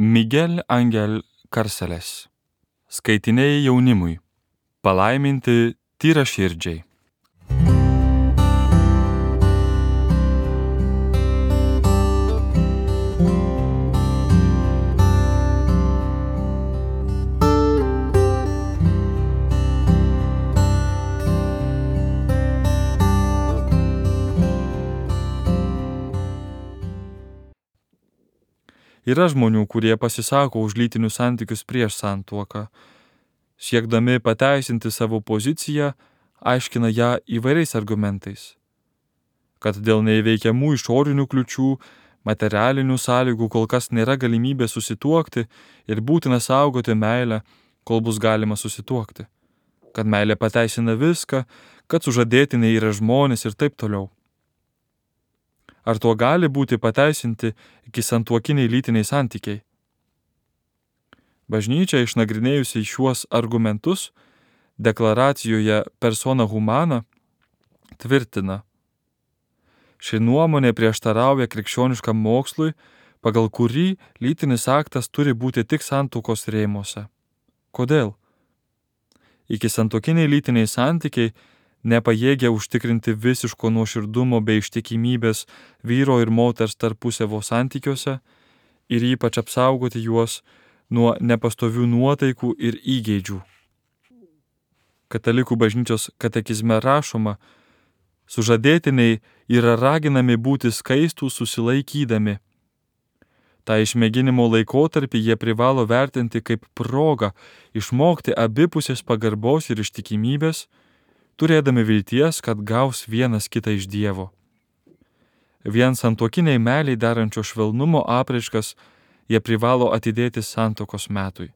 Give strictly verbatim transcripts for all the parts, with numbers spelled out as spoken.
Miguel Angel Carceles. Skaitiniai jaunimui. Palaiminti tyraširdžiai. Yra žmonių, kurie pasisako už lytinius santykius prieš santuoką. Siekdami pateisinti savo poziciją, aiškina ją įvairiais argumentais. Kad dėl neįveikiamų išorinių kliučių, materialinių sąlygų kol kas nėra galimybė susituokti ir būtina saugoti meilę, kol bus galima susituokti. Kad meilė pateisina viską, kad sužadėtiniai yra žmonės ir taip toliau. Ar tuo gali būti pateisinti iki santuokiniai lytiniai santykiai? Bažnyčia, išnagrinėjusi šiuos argumentus, deklaracijoje persona humana tvirtina: ši nuomonė prieštarauja krikščioniškam mokslui, pagal kurį lytinis aktas turi būti tik santuokos rėmuose. Kodėl? Iki santuokiniai lytiniai santykiai nepajėgia užtikrinti visiško nuoširdumo bei ištikimybės vyro ir moters tarpusavio santykiuose ir ypač apsaugoti juos nuo nepastovių nuotaikų ir įgeidžių. Katalikų bažnyčios katekizme rašoma: sužadėtiniai yra raginami būti skaistūs susilaikydami. Ta išmėginimo laikotarpį jie privalo vertinti kaip progą išmokti abipusės pagarbos ir ištikimybės, turėdami vilties, kad gaus vienas kitą iš Dievo. Vien santuokiniai meiliai darančio švelnumo apraiškas jie privalo atidėti santuokos metui.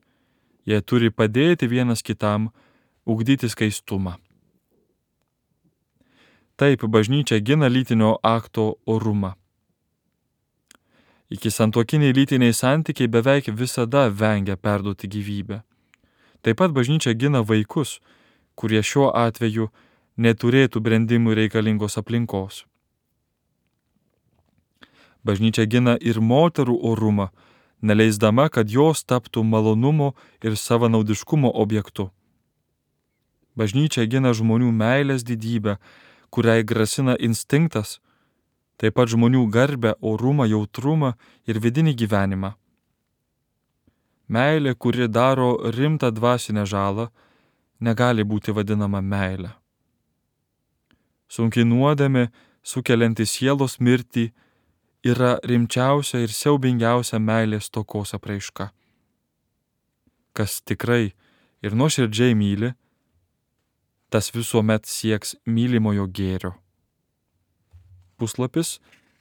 Jie turi padėti vienas kitam ugdyti skaistumą. Taip bažnyčia gina lytinio akto orumą. Iki santuokiniai lytiniai santykiai beveik visada vengia perduoti gyvybę. Taip pat bažnyčia gina vaikus, kurie šiuo atveju neturėtų brendimui reikalingos aplinkos. Bažnyčia gina ir moterų orumą, neleisdama, kad jos taptų malonumo ir savanaudiškumo objektu. Bažnyčia gina žmonių meilės didybę, kuriai grasina instinktas, taip pat žmonių garbę, orumą, jautrumą ir vidinį gyvenimą. Meilė, kuri daro rimtą dvasinę žalą, negali būti vadinama meile. Sunki nuodėmė, sukelianti sielos mirtį, yra rimčiausia ir siaubingiausia meilės stokos apraiška. Kas tikrai ir nuoširdžiai myli, tas visuomet sieks mylimojo gėrio. Puslapis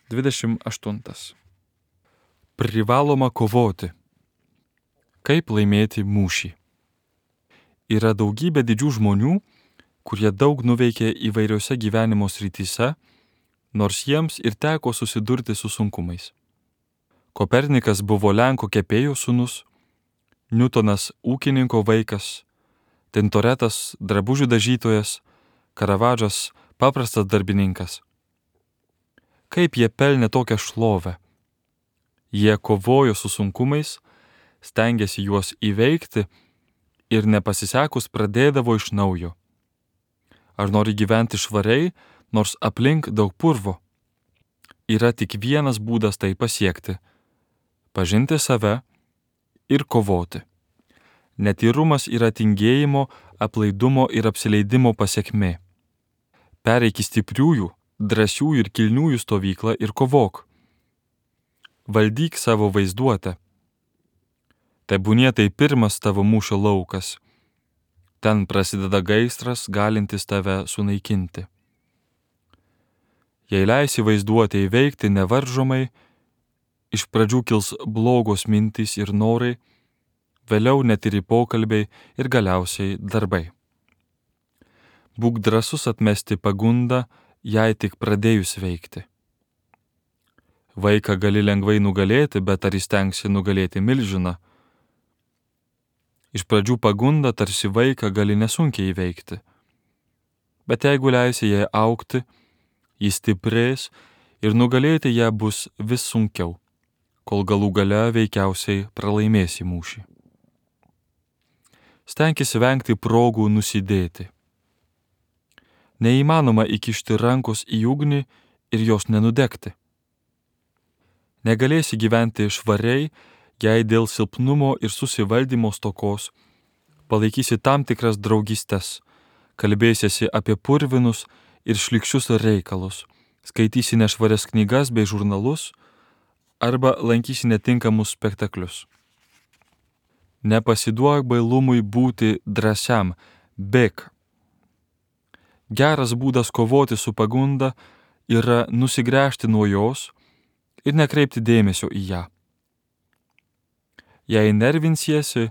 dvidešimt aštuntas. Privaloma kovoti. Kaip laimėti mūšį? Yra daugybė didžių žmonių, kurie daug nuveikė įvairiose gyvenimo srityse, nors jiems ir teko susidurti su sunkumais. Kopernikas buvo Lenko kepėjo sūnus, Niutonas ūkininko vaikas, Tintoretas drabužių dažytojas, Karavadžas paprastas darbininkas. Kaip jie pelnė tokią šlovę? Jie kovojo su sunkumais, stengėsi juos įveikti ir nepasisekus pradėdavo iš naujo. Ar nori gyventi švariai, nors aplink daug purvo? Yra tik vienas būdas tai pasiekti – pažinti save ir kovoti. Netyrumas yra tingėjimo, aplaidumo ir apsileidimo pasekmė. Pereik į stipriųjų, drąsiųjų ir kilniųjų stovyklą ir kovok. Valdyk savo vaizduotę. Tebūnie tai pirmas tavo mūšio laukas. Ten prasideda gaisras, galintis tave sunaikinti. Jei leisi vaizduotę įveikti nevaržomai, iš pradžių kils blogos mintys ir norai, vėliau netyri pokalbiai ir galiausiai darbai. Būk drąsus atmesti pagundą, jei tik pradėjus veikti. Vaiką gali lengvai nugalėti, bet ar įstengsi nugalėti milžiną? Iš pradžių pagundą tarsi vaiką gali nesunkiai įveikti. Bet jeigu leisi jai augti, jis stiprės ir nugalėti ją bus vis sunkiau. kol galų gale veikiausiai pralaimėsi mūšį. Stenkis vengti progų nusidėti. Neįmanoma įkišti rankos į ugnį ir jos nenudegti. Negalėsi gyventi švariai, jei dėl silpnumo ir susivaldymo stokos palaikysi tam tikras draugystes, kalbėsiesi apie purvinus ir šlykščius reikalus, skaitysi nešvarias knygas bei žurnalus arba lankysi netinkamus spektaklius. Nepasiduok bailumui būti drąsiam, bėk. Geras būdas kovoti su pagunda yra nusigręžti nuo jos ir nekreipti dėmesio į ją. Jei nervinsiesi,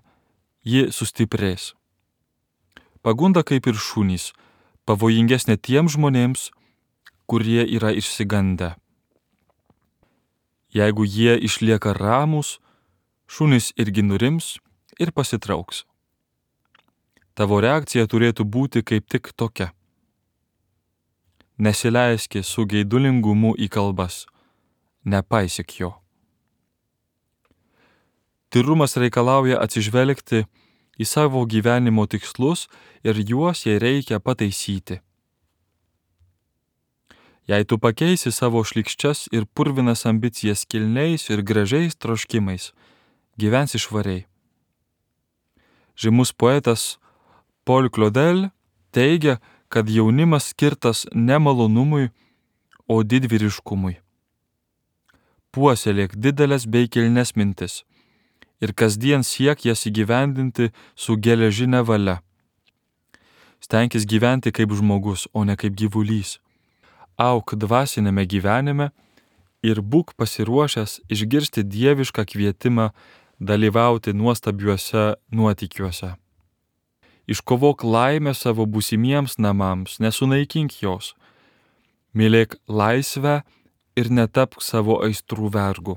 ji sustiprės. Pagunda kaip ir šunys, pavojingesnė tiems žmonėms, kurie yra išsigandę. Jeigu jie išlieka ramūs, šunys irgi nurims ir pasitrauks. Tavo reakcija turėtų būti kaip tik tokia. Nesileiski su geidulingumu į kalbas, nepaisyk jo. Tyrumas reikalauja atsižvelgti į savo gyvenimo tikslus ir juos jei reikia pataisyti. Jei tu pakeisi savo šlykščias ir purvinas ambicijas kilniais ir gražiais troškimais, gyvensi švariai. Žymus poetas Paul Claudel teigia, kad jaunimas skirtas ne malonumui, o didvyriškumui. Puoselėk didelės bei kilnes mintis ir kasdien siek jas įgyvendinti su geležine valia. Stenkis gyventi kaip žmogus, o ne kaip gyvulys. Auk dvasinėme gyvenime ir būk pasiruošęs išgirsti dievišką kvietimą dalyvauti nuostabiuose nuotykiuose. Iškovok laimę savo būsimiems namams, nesunaikink jos. Mylėk laisvę ir netapk savo aistrų vergu.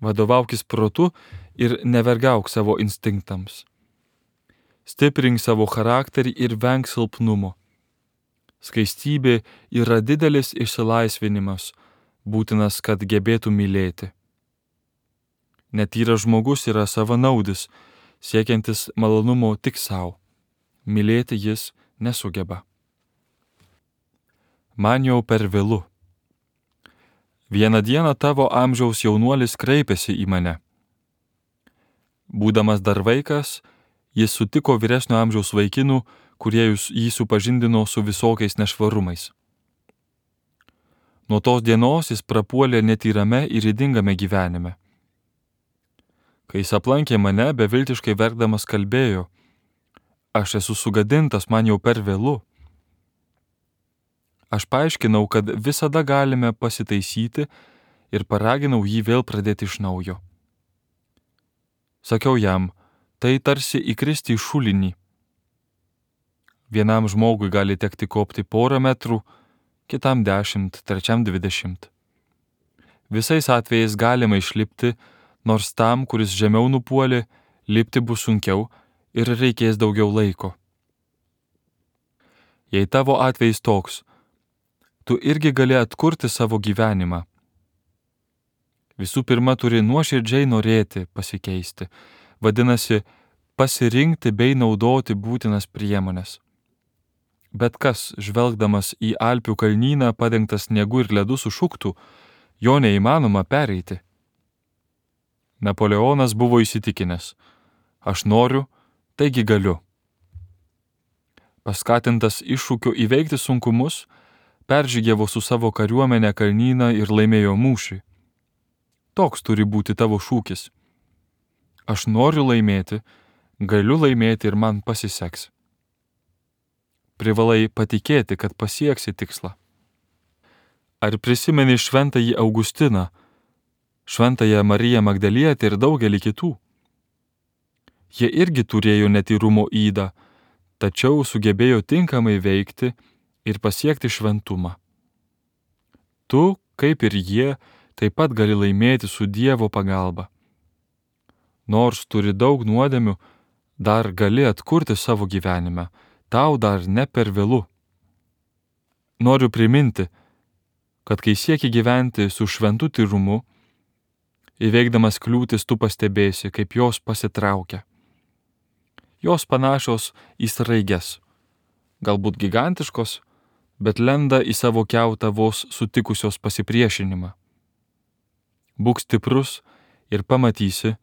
Vadovaukis protu ir nevergauk savo instinktams. Stiprink savo charakterį ir venk silpnumo. Skaistybė yra didelis išsilaisvinimas, būtinas, kad gebėtų mylėti. Netyras žmogus yra savanaudis, siekiantis malonumo tik savo. Mylėti jis nesugeba. Man jau per vėlu. Vieną dieną tavo amžiaus jaunuolis kreipėsi į mane. Būdamas dar vaikas, jis sutiko vyresnio amžiaus vaikinų, kurie jį supažindino su visokiais nešvarumais. Nuo tos dienos jis prapuolė netyrame ir ydingame gyvenime. Kai jis aplankė mane, beviltiškai verkdamas kalbėjo: aš esu sugadintas, man jau per vėlu. Aš paaiškinau, kad visada galime pasitaisyti ir paraginau jį vėl pradėti iš naujo. Sakiau jam, tai tarsi įkristi į šulinį. Vienam žmogui gali tekti kopti porą metrų, kitam dešimt, trečiam dvidešimt. Visais atvejais galima išlipti, nors tam, kuris žemiau nupuolė, lipti bus sunkiau ir reikės daugiau laiko. Jei tavo atvejis toks, tu irgi gali atkurti savo gyvenimą. Visų pirma, turi nuoširdžiai norėti pasikeisti, vadinasi, pasirinkti bei naudoti būtinas priemonės. Bet kas, žvelgdamas į Alpių kalnyną padengtas sniegu ir ledu sušuktų, jo neįmanoma pereiti. Napoleonas buvo įsitikinęs: aš noriu, taigi galiu. Paskatintas iššūkio įveikti sunkumus, peržygiavo su savo kariuomenė kalnyną ir laimėjo mūšį. Toks turi būti tavo šūkis. Aš noriu laimėti, galiu laimėti ir man pasiseks. Privalai patikėti, kad pasieksi tikslą. Ar prisimeni šventąjį Augustiną, šventąją Mariją Magdalietę ir daugelį kitų? Jie irgi turėjo netyrumo ydą, tačiau sugebėjo tinkamai veikti ir pasiekti šventumą. Tu, kaip ir jie, taip pat gali laimėti su Dievo pagalba. Nors turi daug nuodėmių, dar gali atkurti savo gyvenime, tau dar ne per vėlu. Noriu priminti, kad kai sieki gyventi su šventu tyrumu, Įveikdamas kliūtis tu pastebėsi, kaip jos pasitraukia. Jos panašios į sraiges, galbūt gigantiškos, bet lenda į savo kiautą vos sutikusios pasipriešinimą. Būk stiprus ir pamatysi,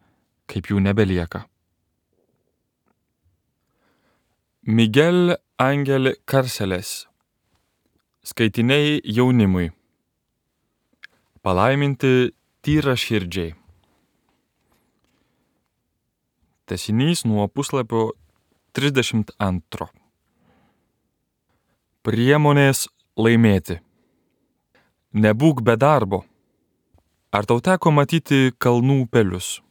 kaip jų nebelieka. Miguel Ángel Cárceles. Skaitiniai jaunimui. Palaiminti tyraširdžiai. Tęsinys nuo puslapio trisdešimt antro. Priemonės laimėti. Nebūk be darbo. Ar tau teko matyti kalnų upelius?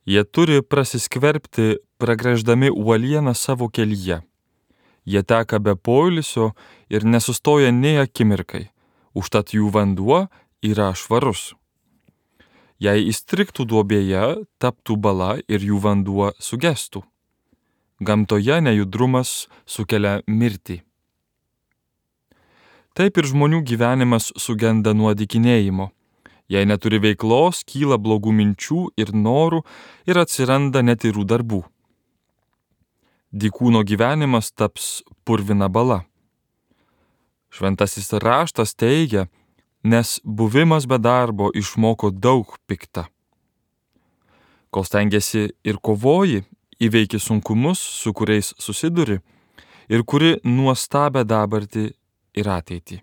Jie turi prasiskverbti, pragręždami uolieną savo kelyje. Jie teka be poilsio ir nesustoja nei akimirkai, užtat jų vanduo yra švarus. Jei įstrigtų duobėje, taptų bala ir jų vanduo sugestų. Gamtoje nejudrumas sukelia mirtį. Taip ir žmonių gyvenimas sugenda nuo dykinėjimo. Jei neturi veiklos, kyla blogų minčių ir norų ir atsiranda netyrų darbų. Dykūno gyvenimas taps purvina bala. Šventasis raštas teigia, nes buvimas be darbo išmoko daug pikta. Kol stengiasi ir kovoji, įveiki sunkumus, su kuriais susiduri, ir kuri nuostabę dabartį ir ateitį.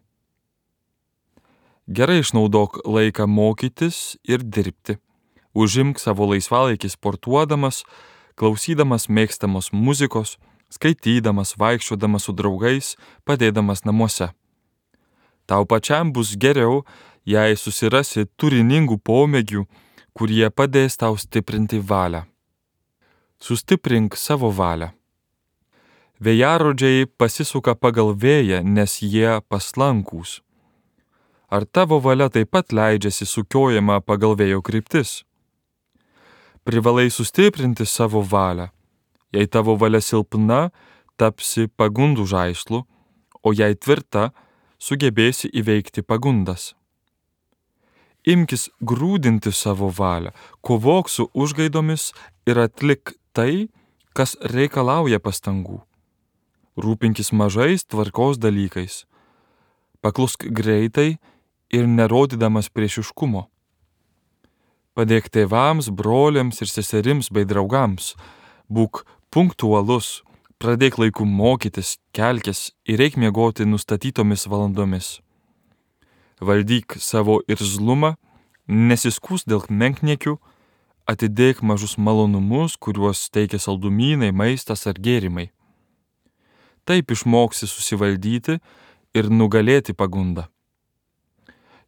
Gerai išnaudok laiką mokytis ir dirbti. Užimk savo laisvalaikį sportuodamas, klausydamas mėgstamos muzikos, skaitydamas, vaikščiodamas su draugais, padėdamas namuose. Tau pačiam bus geriau, jei susirasi turiningų pomėgių, kurie padės tau stiprinti valią. Sustiprink savo valią. Vėjarodžiai pasisuka pagal vėją, nes jie paslankūs. Ar tavo valia taip pat leidžiasi sukiojama pagal vėjo kryptis? Privalai sustiprinti savo valią. Jei tavo valia silpna, tapsi pagundų žaislu, o jei tvirta, sugebėsi įveikti pagundas. Imkis grūdinti savo valią, kovok su užgaidomis ir atlik tai, kas reikalauja pastangų. Rūpinkis mažais tvarkos dalykais. Paklusk greitai ir nerodydamas priešiškumo. Padėk tėvams, broliams ir seserims bei draugams. Būk punktualus, pradėk laiku mokytis, kelkis ir eik miegoti nustatytomis valandomis. Valdyk savo irzlumą, nesiskūs dėl menkniekių, atidėk mažus malonumus, kuriuos teikia saldumynai, maistas ar gėrimai. Taip išmoksi susivaldyti ir nugalėti pagundą.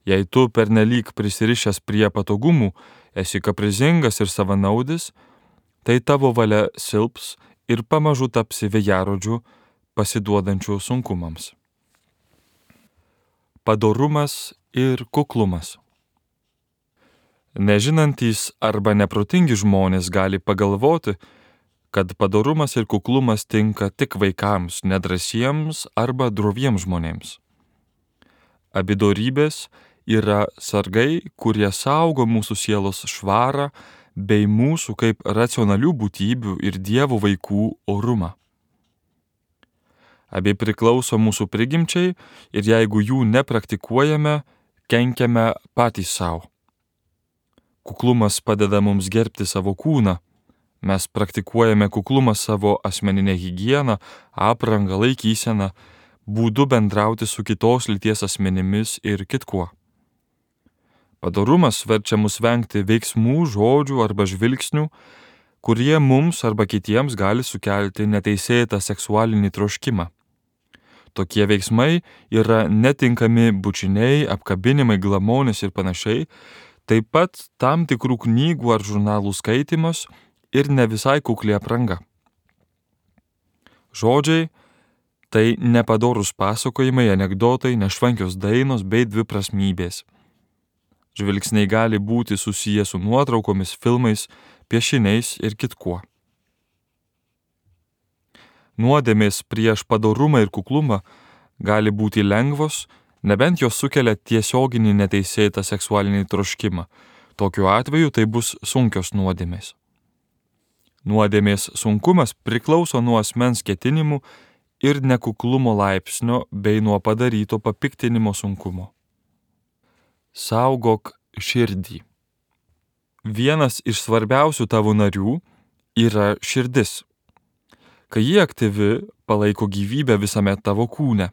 Jei tu pernelyg prisirišęs prie patogumų, esi kaprizingas ir savanaudis, tai tavo valia silps ir pamažu tapsi vėjarodžiu, pasiduodančiu sunkumams. Padorumas ir kuklumas. Nežinantys arba neprotingi žmonės gali pagalvoti, kad padorumas ir kuklumas tinka tik vaikams, nedrąsiems arba droviems žmonėms. Abi dorybės yra sargai, kurie saugo mūsų sielos švarą bei mūsų kaip racionalių būtybių ir Dievo vaikų orumą. Abi priklauso mūsų prigimčiai ir jeigu jų nepraktikuojame, kenkiame patys savo. Kuklumas padeda mums gerbti savo kūną. Mes praktikuojame kuklumą savo asmeninę higieną, aprangą, laikyseną, būdu bendrauti su kitos lyties asmenimis ir kitkuo. Padorumas verčia mus vengti veiksmų, žodžių arba žvilgsnių, kurie mums arba kitiems gali sukelti neteisėtą seksualinį troškimą. Tokie veiksmai yra netinkami bučiniai, apkabinimai, glamonės ir panašiai, taip pat tam tikrų knygų ar žurnalų skaitimas ir ne visai kukli apranga. Žodžiai – tai nepadorūs pasakojimai, anekdotai, nešvankios dainos bei dviprasmybės. Žvilgsniai gali būti susiję su nuotraukomis, filmais, piešiniais ir kitkuo. Nuodėmės prieš padorumą ir kuklumą gali būti lengvos, nebent jos sukelia tiesioginį neteisėtą seksualinį troškimą. Tokiu atveju tai bus sunkios nuodėmės. Nuodėmės sunkumas priklauso nuo asmens ketinimų ir nekuklumo laipsnio bei nuo padaryto papiktinimo sunkumo. Saugok širdį. Vienas iš svarbiausių tavo narių yra širdis. Kai ji aktyvi, palaiko gyvybę visame tavo kūne.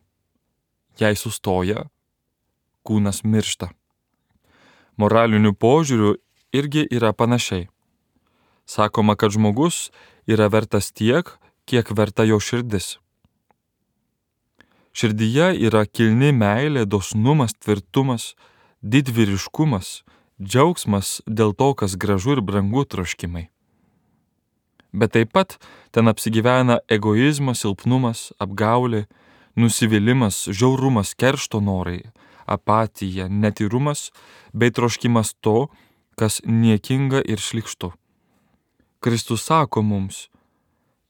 Jei sustoja, kūnas miršta. Moraliniu požiūriu irgi yra panašiai. Sakoma, kad žmogus yra vertas tiek, kiek verta jo širdis. Širdyje yra kilni meilė, dosnumas, tvirtumas, didvyriškumas, džiaugsmas dėl to, kas gražu ir brangu troškimai. Bet taip pat ten apsigyvena egoizmas, silpnumas, apgaulė, nusivylimas, žiaurumas, keršto norai, apatija, netyrumas bei troškimas to, kas niekinga ir šlykštu. Kristus sako mums,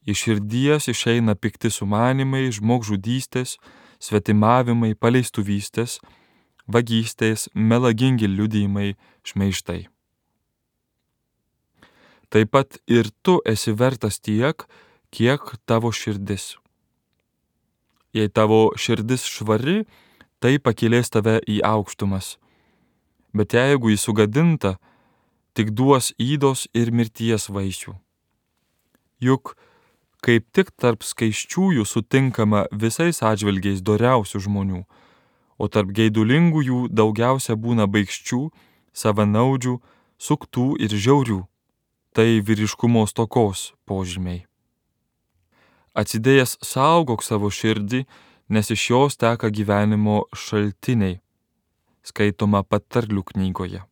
iš širdies išeina pikti sumanimai, žmogžudystės, svetimavimai, paleistuvystės, vagystės, melagingi liudijimai, šmeižtai. Taip pat ir tu esi vertas tiek, kiek tavo širdis. Jei tavo širdis švari, tai pakilės tave į aukštumas. Bet jeigu jį sugadinta, tik duos ydos ir mirties vaisių. Juk kaip tik tarp skaisčiųjų sutinkama visais atžvilgiais doriausių žmonių, o tarp geidulingųjų daugiausia būna baikščių, savanaudžių, suktų ir žiaurių. Tai vyriškumo stokos požymiai. Atsidėjęs saugok savo širdį, nes iš jos teka gyvenimo šaltiniai, skaitoma patarlių knygoje.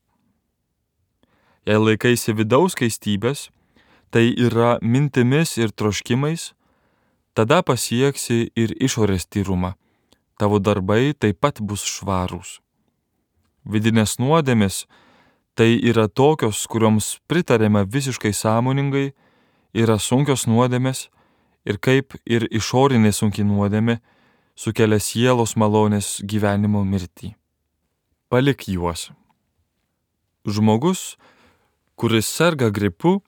Jei laikaisi vidaus skaistybės, tai yra mintimis ir troškimais, tada pasieksi ir išorės tyrumą. Tavo darbai taip pat bus švarūs. Vidinės nuodėmės tai yra tokios, kurioms pritarėme visiškai sąmoningai, yra sunkios nuodėmės ir kaip ir išorinė sunki nuodėmė sukelia sielos malonės gyvenimo mirtį. Palik juos. Žmogus, kuris serga gripu,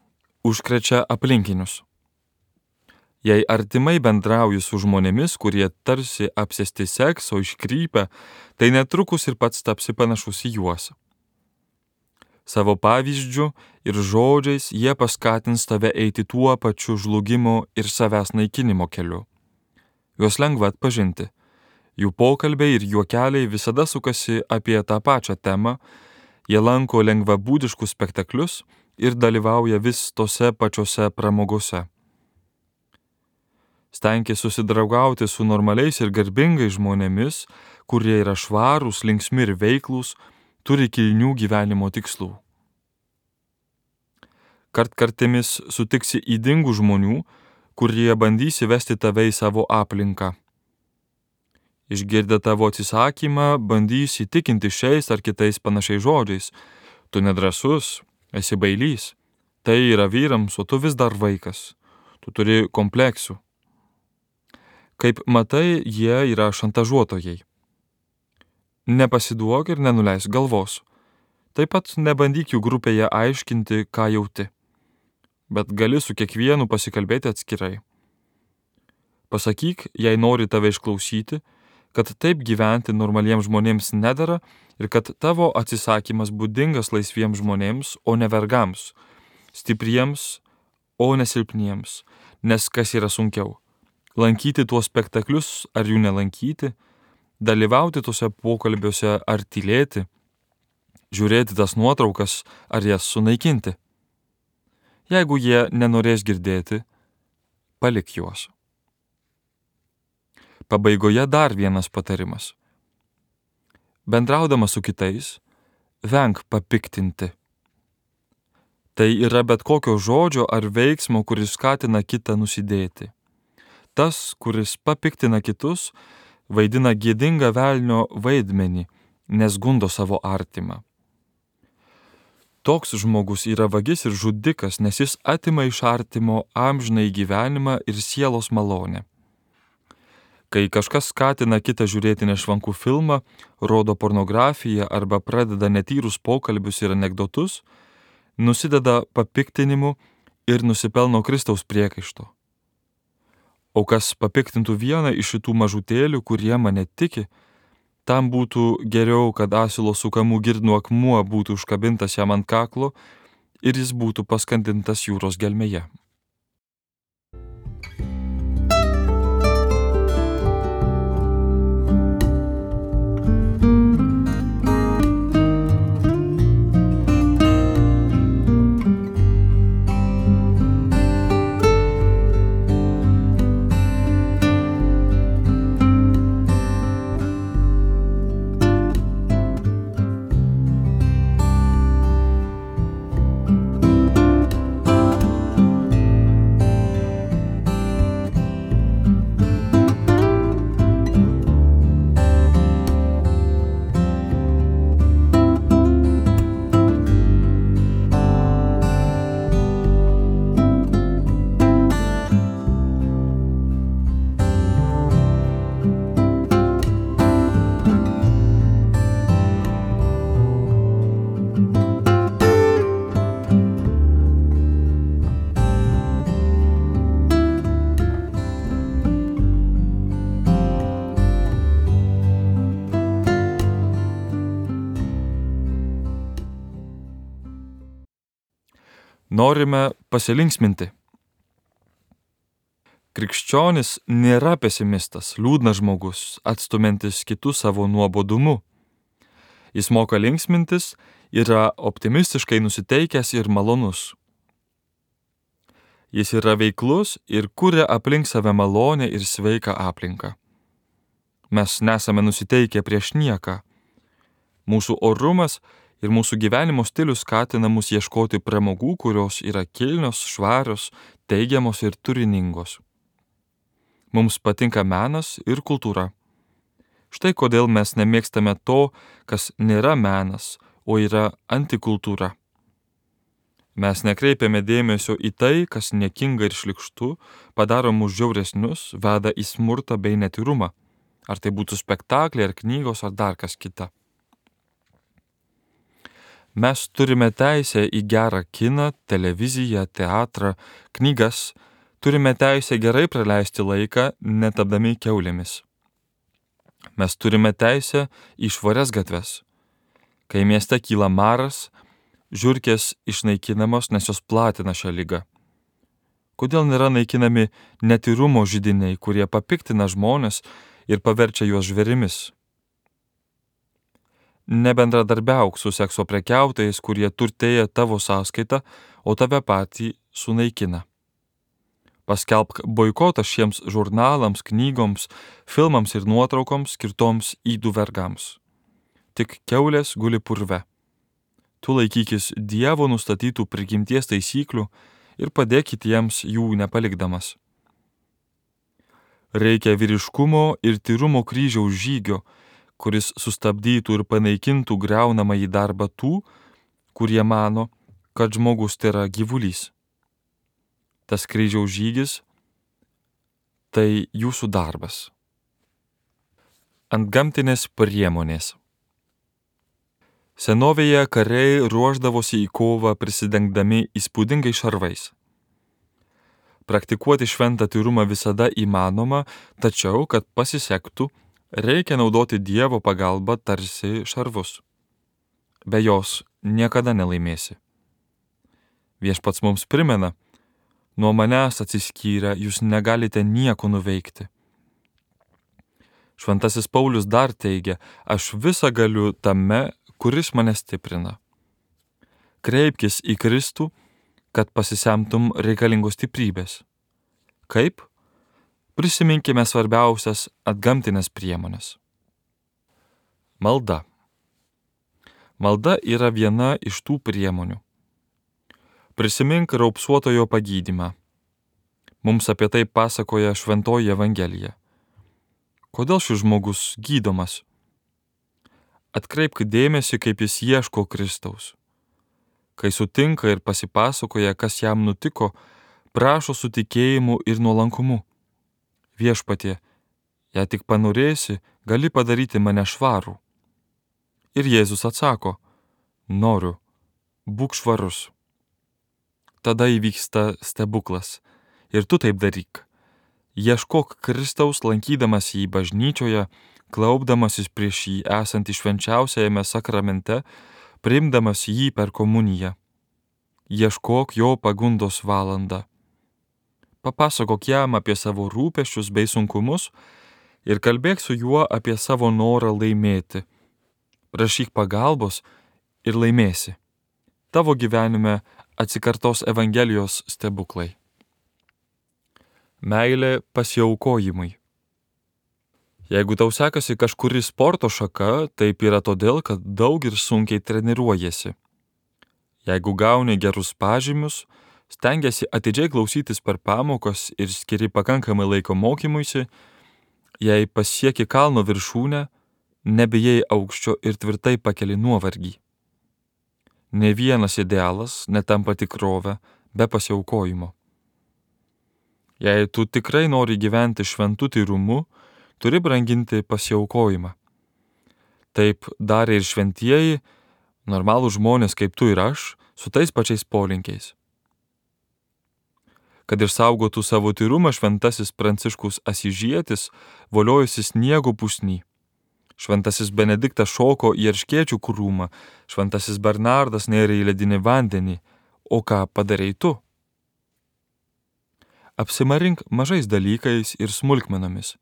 užkrečia aplinkinius. Jei artimai bendrauji su žmonėmis, kurie tarsi apsėsti sekso iškrypę, tai netrukus ir pats tapsi panašus į juos. Savo pavyzdžiu ir žodžiais jie paskatins tave eiti tuo pačiu žlugimo ir savęs naikinimo keliu. Juos lengva atpažinti. Jų pokalbiai ir juokeliai visada sukasi apie tą pačią temą, jie lanko lengvabūdiškus spektaklius ir dalyvauja vis tose pačiose pramogose. Stenkis susidraugauti su normaliais ir garbingais žmonėmis, kurie yra švarūs, linksmi ir veiklūs, turi kilnių gyvenimo tikslų. Kartkartėmis sutiksi ydingų žmonių, kurie bandys įvesti tave į savo aplinką. Išgirdę tavo atsisakymą, bandys įtikinti šiais ar kitais panašiais žodžiais. Tu nedrąsus, esi bailys. Tai yra vyrams, o tu vis dar vaikas. Tu turi kompleksų. Kaip matai, jie yra šantažuotojai. Nepasiduok ir nenuleisk galvos. Taip pat nebandyk jų grupėje aiškinti, ką jauti. Bet gali su kiekvienu pasikalbėti atskirai. Pasakyk, jei nori tave išklausyti, kad taip gyventi normaliems žmonėms nedara ir kad tavo atsisakymas būdingas laisviems žmonėms, o ne vergams, stipriems, o ne silpniems, nes kas yra sunkiau – lankyti tuos spektaklius ar jų nelankyti, dalyvauti tuose pokalbiuose ar tylėti, žiūrėti tas nuotraukas ar jas sunaikinti. Jeigu jie nenorės girdėti, palik juos. Pabaigoje dar vienas patarimas. Bendraudamas su kitais, venk papiktinti. Tai yra bet kokio žodžio ar veiksmo, kuris skatina kitą nusidėti. Tas, kuris papiktina kitus, vaidina gėdingą velnio vaidmenį, nes gundo savo artimą. Toks žmogus yra vagis ir žudikas, nes jis atima iš artimo amžinąjį gyvenimą ir sielos malonę. Kai kažkas skatina kitą žiūrėti nešvankų filmą, rodo pornografiją arba pradeda netyrus pokalbius ir anekdotus, nusideda papiktinimu ir nusipelno Kristaus priekaišto. O kas papiktintų vieną iš šitų mažutėlių, kurie mane tiki, tam būtų geriau, kad asilo sukamų girnų akmuo būtų užkabintas jam ant kaklo ir jis būtų paskandintas jūros gelmėje. Norime pasilinksminti. Krikščionis nėra pesimistas, liūdnas žmogus, atstumiantis kitus savo nuobodumu. Jis moka linksmintis, yra optimistiškai nusiteikęs ir malonus. Jis yra veiklus ir kuria aplink save malonę ir sveiką aplinką. Mes nesame nusiteikę prieš nieką. Mūsų orumas ir mūsų gyvenimo stilius skatina mus ieškoti pramogų, kurios yra kilnios, švarios, teigiamos ir turiningos. Mums patinka menas ir kultūra. Štai kodėl mes nemėgstame to, kas nėra menas, o yra antikultūra. Mes nekreipiame dėmesio į tai, kas niekinga ir šlykštu, padaro mus žiauresnius, veda į smurtą bei netyrumą. Ar tai būtų spektakliai, ar knygos, ar dar kas kita. Mes turime teisę į gerą kiną, televiziją, teatrą, knygas, turime teisę gerai praleisti laiką, netapdami kiaulėmis. Mes turime teisę į švarias gatves. Kai mieste kyla maras, žiurkės išnaikinamos, nes jos platina šią ligą. Kodėl nėra naikinami netyrumo židiniai, kurie papiktina žmones ir paverčia juos žvėrimis? Nebendradarbiauk su sekso prekiautojais, kurie turtėja tavo sąskaitą, o tave patį sunaikina. Paskelbk boikotą šiems žurnalams, knygoms, filmams ir nuotraukoms skirtoms ydų vergams. Tik kiaulės guli purve. Tu laikykis Dievo nustatytų prigimties taisyklių ir padėk kitiems jų nepalikdamas. Reikia vyriškumo ir tyrumo kryžiaus žygio, kuris sustabdytų ir panaikintų griaunamąjį darbą tų, kurie mano, kad žmogus tai yra gyvulys. Tas kryžiaus žygis – tai jūsų darbas. Antgamtinės priemonės. Senovėje kariai ruošdavosi į kovą prisidengdami įspūdingai šarvais. Praktikuoti šventą tyrumą visada įmanoma, tačiau, kad pasisektų, reikia naudoti Dievo pagalbą tarsi šarvus. Be jos niekada nelaimėsi. Viešpats mums primena, nuo manęs atsiskyrę jūs negalite nieko nuveikti. Šventasis Paulius dar teigia, aš visą galiu tame, kuris mane stiprina. Kreipkis į Kristų, kad pasisemtum reikalingos stiprybės. Kaip? Prisiminkime svarbiausias atgamtinės priemonės. Malda. Malda yra viena iš tų priemonių. Prisimink raupsuotojo pagydymą. Mums apie tai pasakoja Šventoji Evangelija. Kodėl šis žmogus gydomas? Atkreipk dėmesį, kaip jis ieško Kristaus. Kai sutinka ir pasipasakoja, kas jam nutiko, prašo su tikėjimu ir nuolankumu. Viešpatie, Jei tik panorėsi, gali padaryti mane švarų. Ir Jėzus atsako, noriu, būk švarus. Tada įvyksta stebuklas. Ir tu taip daryk. Ieškok Kristaus, lankydamas jį bažnyčioje, klaupdamasis prieš jį esantį švenčiausiajame sakramente, priimdamas jį per komuniją. Ieškok jo pagundos valandą. Papasakok jam apie savo rūpesčius bei sunkumus ir kalbėk su juo apie savo norą laimėti. Prašyk pagalbos ir laimėsi. Tavo gyvenime atsikartos Evangelijos stebuklai. Meilė pasiaukojimui. Jeigu tau sekasi kažkuri sporto šaka, taip yra todėl, kad daug ir sunkiai treniruojasi. Jeigu gauni gerus pažymius, stengiasi atidžiai klausytis per pamokas ir skiri pakankamai laiko mokymuisi, jei pasieki kalno viršūnę, nebijai aukščio ir tvirtai pakeli nuovargį. Ne vienas idealas netampa tikrove be pasiaukojimo. Jei tu tikrai nori gyventi šventu tyrumu, turi branginti pasiaukojimą. Taip darė ir šventieji, normalūs žmonės kaip tu ir aš, su tais pačiais polinkiais. Kad išsaugotų savo tyrumą, šventasis Pranciškus Asyžietis voliojosi sniego pusny. Šventasis Benediktas šoko į erškėčių krūmą, šventasis Bernardas nėrė į ledinį vandenį. O ką padarei tu? Apsimarink mažais dalykais ir smulkmenomis,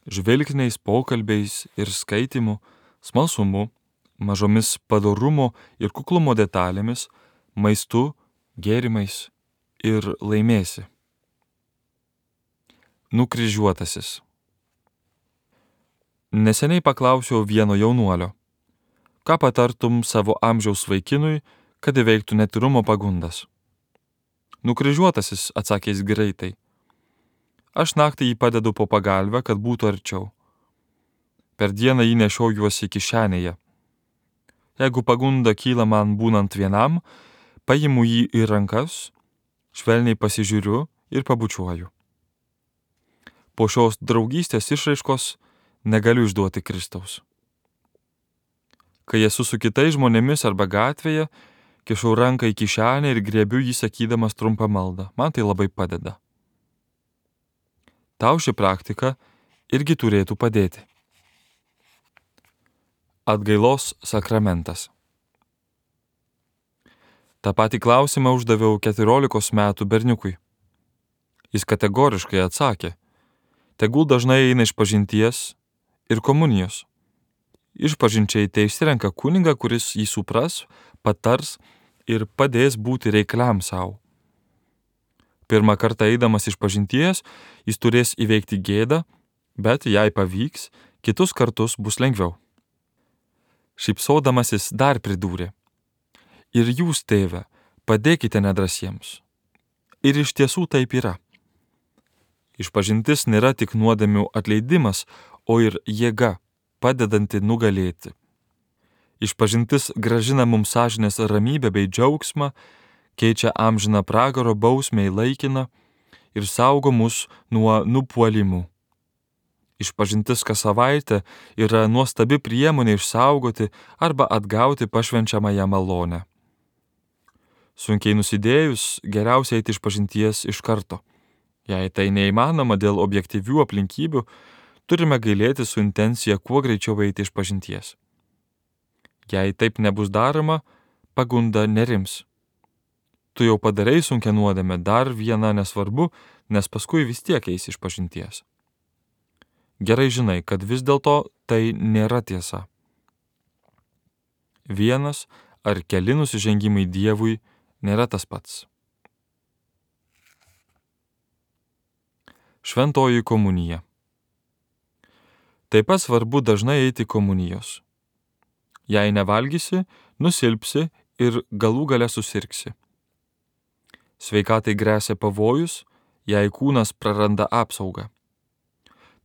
žvilgsniais, pokalbiais ir skaitimu, smalsumu, mažomis padorumo ir kuklumo detalėmis, maistu, gėrimais ir laimėsi. Nukryžiuotasis. Neseniai paklausiau vieno jaunuolio, ką patartum savo amžiaus vaikinui, kad įveiktų netyrumo pagundas. Nukryžiuotasis, atsakė jis greitai. Aš naktį jį padedu po pagalvę, kad būtų arčiau. Per dieną jį nešiojuosi kišenėje. Jeigu pagunda kyla man būnant vienam, paimu jį į rankas, švelniai pasižiūriu ir pabučiuoju. Po šios draugystės išraiškos negaliu išduoti Kristaus. Kai esu su kitais žmonėmis arba gatvėje, kišau ranką į kišenę ir griebiu jį sakydamas trumpą maldą. Man tai labai padeda. Tau ši praktika irgi turėtų padėti. Atgailos sakramentas. Ta patį klausimą uždaviau keturiolikos metų berniukui. Jis kategoriškai atsakė, tegul dažnai eina išpažinties ir komunijos. Išpažinčiai te išsirenka kunigą, kuris jį supras, patars ir padės būti reikliam savo. Pirmą kartą eidamas išpažinties, jis turės įveikti gėdą, bet jei pavyks, kitus kartus bus lengviau. Šypsodamasis dar pridūrė, ir jūs, tėve, padėkite nedrasiems. Ir iš tiesų taip yra. Išpažintis nėra tik nuodėmių atleidimas, o ir jėga, padedanti nugalėti. Išpažintis gražina mums sąžinės ramybę bei džiaugsmą, keičia amžiną pragaro bausmę į laikiną ir saugo mus nuo nupuolimų. Išpažintis kas savaitę yra nuostabi priemonė išsaugoti arba atgauti pašvenčiamąją malonę. Sunkiai nusidėjus, geriausia eiti išpažinties iš karto. Jei tai neįmanoma dėl objektyvių aplinkybių, turime gailėti su intencija kuo greičiau eiti išpažinties. Jei taip nebus daroma, pagunda nerims. Tu jau padarai sunkią nuodėmę, dar viena nesvarbu, nes paskui vis tiek eisi išpažinties. Gerai žinai, kad vis dėlto tai nėra tiesa. Vienas ar keli nusižengimai Dievui nėra tas pats. Šventoji komunija. Taip pat svarbu dažnai eiti komunijos. Jei nevalgysi, nusilpsi ir galų gale susirgsi. Sveikatai gresia pavojus, jei kūnas praranda apsaugą.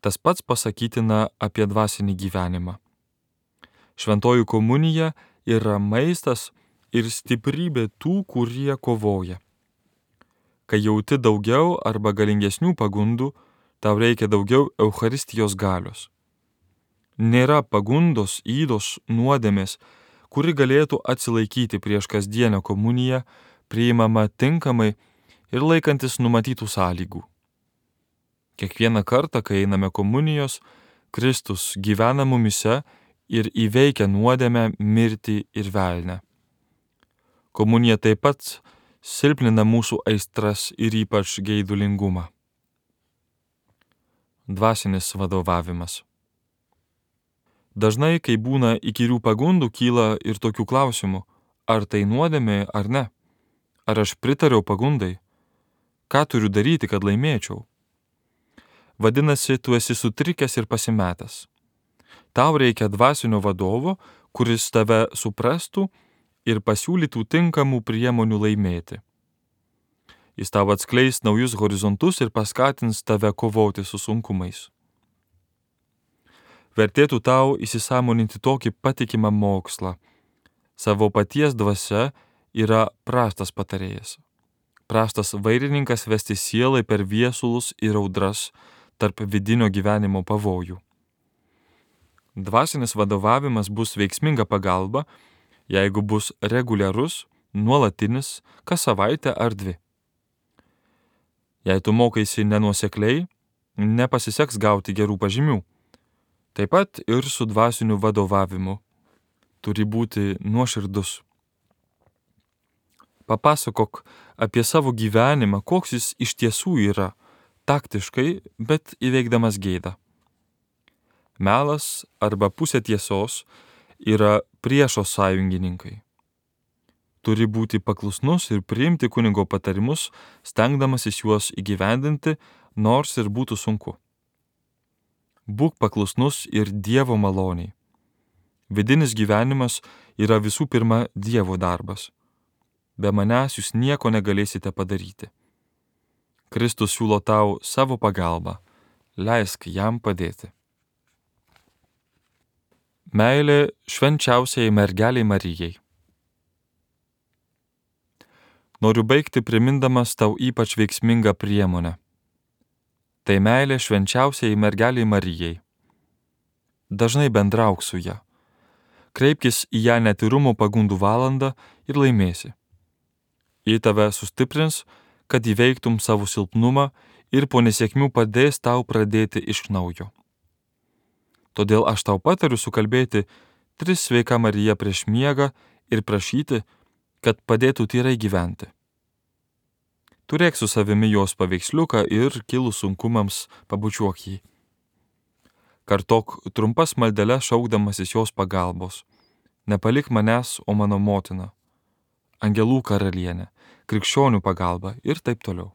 Tas pats pasakytina apie dvasinį gyvenimą. Šventoji komunija yra maistas ir stiprybė tų, kurie kovoja. Kai jauti daugiau arba galingesnių pagundų, tau reikia daugiau Eucharistijos galios. Nėra pagundos, ydos, nuodėmės, kuri galėtų atsilaikyti prieš kasdienę komuniją, priimama tinkamai ir laikantis numatytų sąlygų. Kiekvieną kartą, kai einame komunijos, Kristus gyvena mumise ir įveikia nuodėmę, mirtį ir velnę. Komunija taip pat silpnina mūsų aistras ir ypač geidulingumą. Dvasinis vadovavimas. Dažnai, kai būna įkyrių pagundų, kyla ir tokių klausimų, ar tai nuodėmė ar ne, ar aš pritariau pagundai, ką turiu daryti, kad laimėčiau. Vadinasi, tu esi sutrikęs ir pasimetęs. Tau reikia dvasinio vadovo, kuris tave suprastų ir pasiūlytų tinkamų priemonių laimėti. Jis tau atskleis naujus horizontus ir paskatins tave kovoti su sunkumais. Vertėtų tau įsisąmoninti tokį patikimą mokslą. Savo paties dvasia yra prastas patarėjas. Prastas vairininkas vesti sielai per viesulus ir audras tarp vidinio gyvenimo pavojų. Dvasinis vadovavimas bus veiksminga pagalba, jeigu bus reguliarus, nuolatinis, kas savaitę ar dvi. Jei tu mokaisi nenuosekliai, nepasiseks gauti gerų pažymių. Taip pat ir su dvasiniu vadovavimu. Turi būti nuoširdus. Papasakok apie savo gyvenimą, koks jis iš tiesų yra, taktiškai, bet įveikdamas gėdą. Melas arba pusė tiesos yra priešo sąjungininkai. Turi būti paklusnus ir priimti kunigo patarimus, stengdamasis juos įgyvendinti, nors ir būtų sunku. Būk paklusnus ir Dievo maloniai. Vidinis gyvenimas yra visų pirma Dievo darbas. Be manęs jūs nieko negalėsite padaryti. Kristus siūlo tau savo pagalbą. Leisk jam padėti. Meilė švenčiausiai mergelei Marijai. Noriu baigti primindamas tau ypač veiksmingą priemonę. Tai meilė švenčiausiai mergeliai Marijai. Dažnai bendrauk su ja. Kreipkis į ją netyrumo pagundų valandą ir laimėsi. Ji tave sustiprins, kad įveiktum savo silpnumą ir po nesėkmių padės tau pradėti iš naujo. Todėl aš tau patariu sukalbėti tris sveika Marija prieš miegą ir prašyti, kad padėtų tyrai gyventi. Turėk su savimi jos paveiksliuką ir kilus sunkumams pabučiuok jį. Kartok trumpas maldeles šaukdamasis jos pagalbos. Nepalik manęs, o mano motina. Angelų karalienė, krikščionių pagalba ir taip toliau.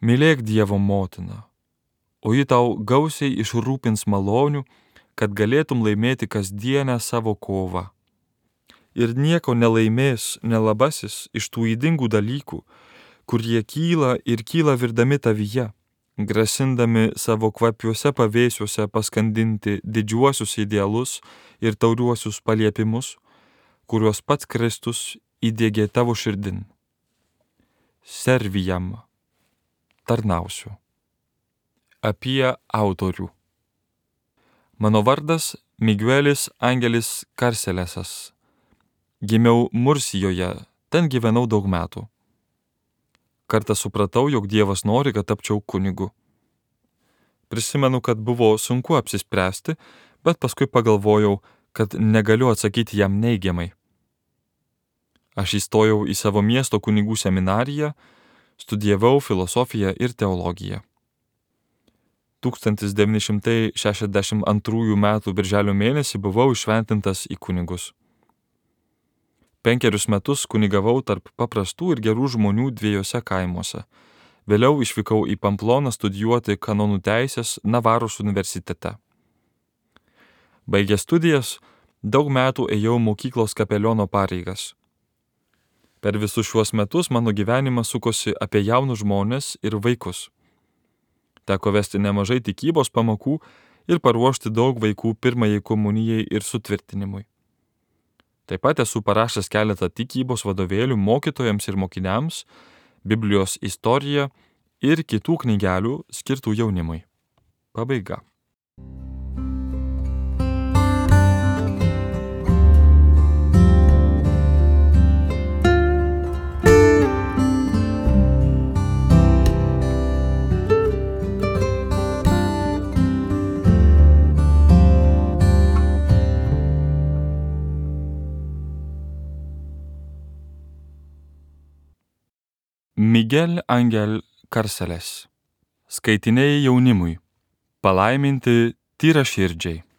Mylėk Dievo motiną, o ji tau gausiai išrūpins malonių, kad galėtum laimėti kasdienę savo kovą. Ir nieko nelaimės nelabasis iš tų ydingų dalykų, kurie kyla ir kyla virdami tavyje, grasindami savo kvapiuose pavėsiuose paskandinti didžiuosius idealus ir tauriuosius paliepimus, kuriuos pats Kristus įdiegė tavo širdin. Servi jam, tarnausiu. Apie autorių. Mano vardas Miguelis Angelis Karselesas. Gimiau Mursijoje, ten gyvenau daug metų. Kartą supratau, jog Dievas nori, kad tapčiau kunigu. Prisimenu, kad buvo sunku apsispręsti, bet paskui pagalvojau, kad negaliu atsakyti jam neigiamai. Aš įstojau į savo miesto kunigų seminariją, studijavau filosofiją ir teologiją. tūkstantis devyni šimtai šešiasdešimt antrųjų metų birželio mėnesį buvau iššventintas į kunigus. Penkerius metus kunigavau tarp paprastų ir gerų žmonių dviejose kaimuose. Vėliau išvykau į Pamploną studijuoti kanonų teisės Navaros universitete. Baigęs studijas, daug metų ėjau mokyklos kapeliono pareigas. Per visus šiuos metus mano gyvenimas sukosi apie jaunus žmones ir vaikus. Teko vesti nemažai tikybos pamokų ir paruošti daug vaikų pirmajai komunijai ir sutvirtinimui. Taip pat esu parašęs keletą tikybos vadovėlių mokytojams ir mokiniams, Biblijos istoriją ir kitų knygelių skirtų jaunimui. Pabaiga. Miguel Angel Carceles. Skaitiniai jaunimui. Palaiminti tyraširdžiai.